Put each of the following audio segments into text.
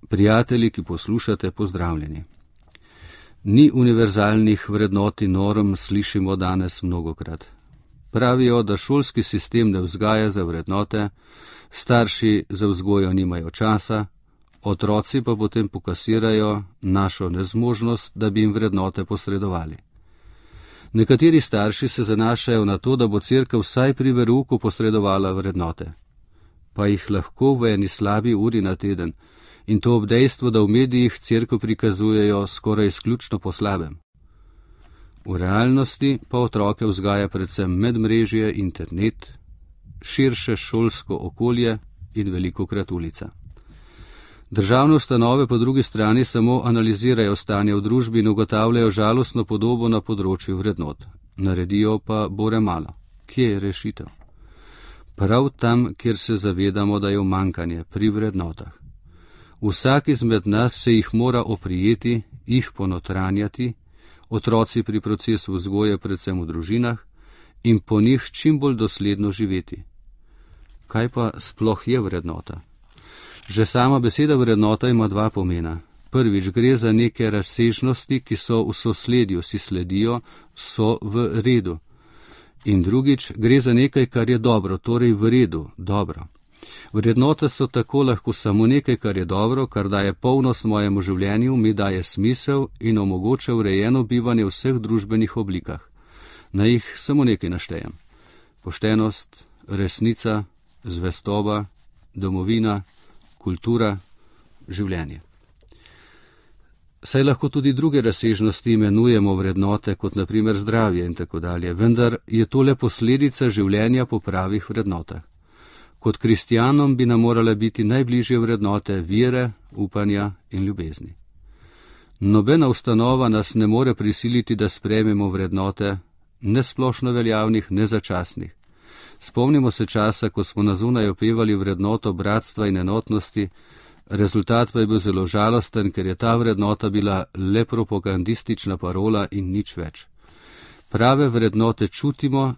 Prijatelji, ki poslušate, pozdravljeni. Ni univerzalnih vrednot in norm, slišimo danes mnogokrat. Pravijo, da šolski sistem ne vzgaja za vrednote, starši za vzgojo nimajo časa, otroci pa potem pokasirajo našo nezmožnost, da bi jim vrednote posredovali. Nekateri starši se zanašajo na to, da bo cerkev vsaj pri verouku posredovala vrednote. Pa jih lahko v eni slabi uri na teden, in to ob dejstvu, da v medijih cerkev prikazujejo skoraj izključno po slabem. V realnosti pa otroke vzgaja predvsem medmrežje, internet, širše šolsko okolje in velikokrat ulica. Državne ustanove po drugi strani samo analizirajo stanje v družbi in ugotavljajo žalostno podobo na področju vrednot. Naredijo pa bore malo. Kje je rešitev? Prav tam, kjer se zavedamo, da je umanjkanje pri vrednotah. Vsak izmed nas se jih mora oprijeti, jih ponotranjati, otroci pri procesu vzgoje predvsem v družinah in po njih čim bolj dosledno živeti. Kaj pa sploh je vrednota? Že sama beseda vrednota ima dva pomena. Prvič, gre za neke razsežnosti, ki so v sosledju, si sledijo, so v redu. In drugič, gre za nekaj, kar je dobro, torej v redu, dobro. Vrednote so tako lahko samo nekaj, kar je dobro, kar daje polnost mojemu življenju, mi daje smisel in omogoča urejeno bivanje v vseh družbenih oblikah. Na jih samo nekaj naštejem. Poštenost, resnica, zvestoba, domovina, kultura, življenje. Saj lahko tudi druge razsežnosti imenujemo vrednote, kot na primer zdravje in tako dalje, vendar je to le posledica življenja po pravih vrednotah. Kot kristjanom bi nam morale biti najbližje vrednote vere, upanja in ljubezni. Nobena ustanova nas ne more prisiliti, da sprejmemo vrednote, ne splošno veljavnih, ne začasnih. Spomnimo se časa, ko smo na zunaj opevali vrednoto bratstva in enotnosti, rezultat pa je bil zelo žalosten, ker je ta vrednota bila le propagandistična parola in nič več. Prave vrednote čutimo,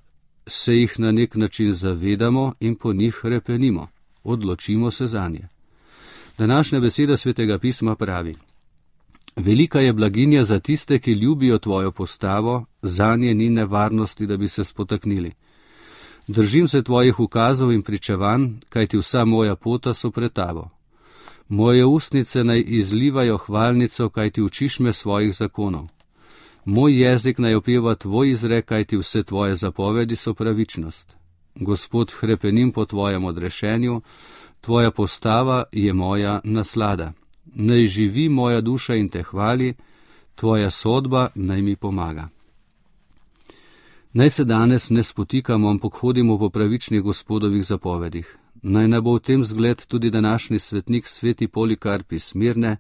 se jih na nek način zavedamo in po njih repenimo, odločimo se zanje. Današnja beseda Svetega pisma pravi: velika je blaginja za tiste, ki ljubijo tvojo postavo, zanje ni nevarnosti, da bi se spotaknili. Držim se tvojih ukazov in pričevanj, kajti vsa moja pota so pred tabo. Moje ustnice naj izlivajo hvalnico, kajti učiš me svojih zakonov. Moj jezik naj opeva tvoj izrek, kajti vse tvoje zapovedi so pravičnost. Gospod, hrepenim po tvojem odrešenju, tvoja postava je moja naslada. Naj živi moja duša in te hvali, tvoja sodba naj mi pomaga. Naj se danes ne spotikamo, ampak hodimo po pravičnih Gospodovih zapovedih. Naj ne bo v tem zgled tudi današnji svetnik sveti Polikarp iz Smirne,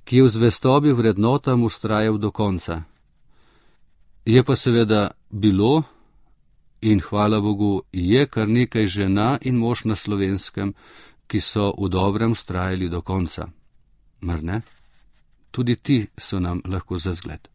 ki je v zvestobi vrednotam vztrajal do konca. Je pa seveda bilo in hvala Bogu je kar nekaj žena in mož na Slovenskem, ki so v dobrem vztrajali do konca. Mar ne? Tudi ti so nam lahko za zgled.